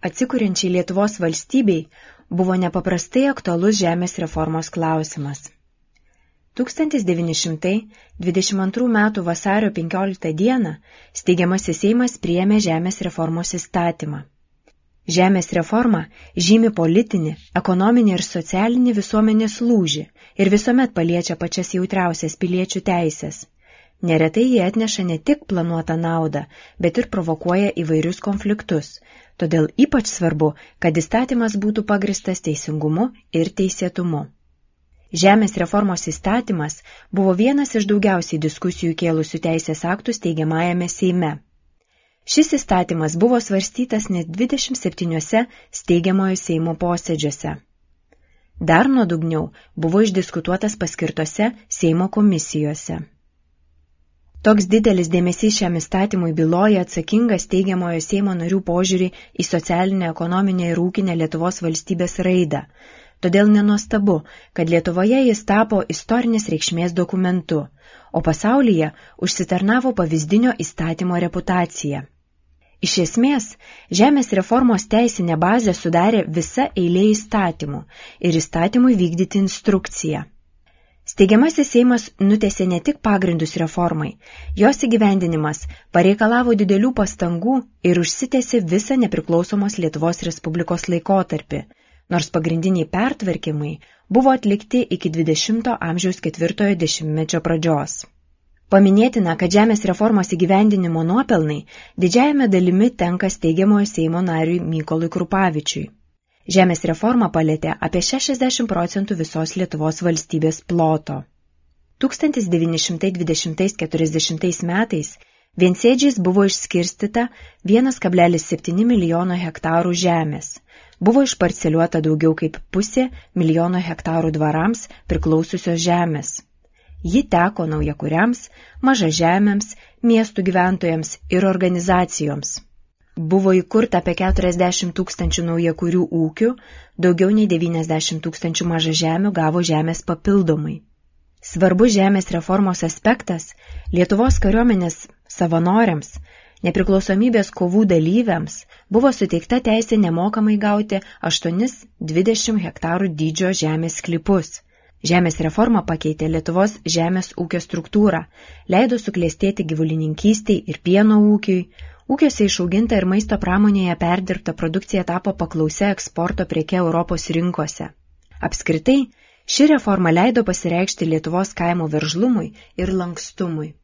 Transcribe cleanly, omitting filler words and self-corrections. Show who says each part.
Speaker 1: Atsikuriančiai Lietuvos valstybei buvo nepaprastai aktualus žemės reformos klausimas. 1922 m. vasario 15 d. steigiamasis Seimas priėmė žemės reformos įstatymą. Žemės reforma žymi politinį, ekonominį ir socialinį visuomenės lūžį ir visuomet paliečia pačias jautriausias piliečių teisės. Neretai jie atneša ne tik planuotą naudą, bet ir provokuoja įvairius konfliktus, todėl ypač svarbu, kad įstatymas būtų pagristas teisingumu ir teisėtumu. Žemės reformos įstatymas buvo vienas iš daugiausiai diskusijų kėlusių teisės aktų steigiamajame Seime. Šis įstatymas buvo svarstytas net 27 steigiamojo Seimo posėdžiuose. Dar nuodugniau buvo išdiskutuotas paskirtose Seimo komisijose. Toks didelis dėmesys šiam įstatymui byloja atsakingą steigiamojo Seimo narių požiūrį į socialinę, ekonominę ir ūkinę Lietuvos valstybės raidą. Todėl nenuostabu, kad Lietuvoje jis tapo istorinės reikšmės dokumentu, o pasaulyje užsitarnavo pavyzdinio įstatymo reputaciją. Iš esmės, žemės reformos teisinę bazę sudarė visa eilė įstatymų ir įstatymui vykdyti instrukciją. Steigiamasis Seimas nutiesė ne tik pagrindus reformai, jos įgyvendinimas pareikalavo didelių pastangų ir užsitęsė visą nepriklausomos Lietuvos Respublikos laikotarpį, nors pagrindiniai pertvarkymai buvo atlikti iki 20 amžiaus 4 dešimtmečio pradžios. Paminėtina, kad žemės reformos įgyvendinimo nuopelnai didžiajame dalimi tenka steigiamojo Seimo nariui Mykolui Krupavičiui. Žemės reforma palėtė apie 60% visos Lietuvos valstybės ploto. 1920–40 metais viensėdžiais buvo išskirstyta 1,7 milijono hektarų žemės. Buvo išparceliuota daugiau kaip 0,5 milijono hektarų dvarams priklausiusios žemės. Ji teko naujakuriams, mažažemiams, miestų gyventojams ir organizacijoms. Buvo įkurta apie 40 000 naujakurių ūkių, daugiau nei 90 000 mažažemių gavo žemės papildomai. Svarbus žemės reformos aspektas Lietuvos kariuomenės savanoriams, nepriklausomybės kovų dalyviams buvo suteikta teisė nemokamai gauti 8–20 hektarų dydžio žemės sklypus. Žemės reforma pakeitė Lietuvos žemės ūkio struktūrą, leido suklestėti gyvulininkystei ir pieno ūkiui, ūkiuose išauginta ir maisto pramonėje perdirbta produkcija tapo paklausia eksporto preke Europos rinkose. Apskritai, ši reforma leido pasireikšti Lietuvos kaimo veržlumui ir lankstumui.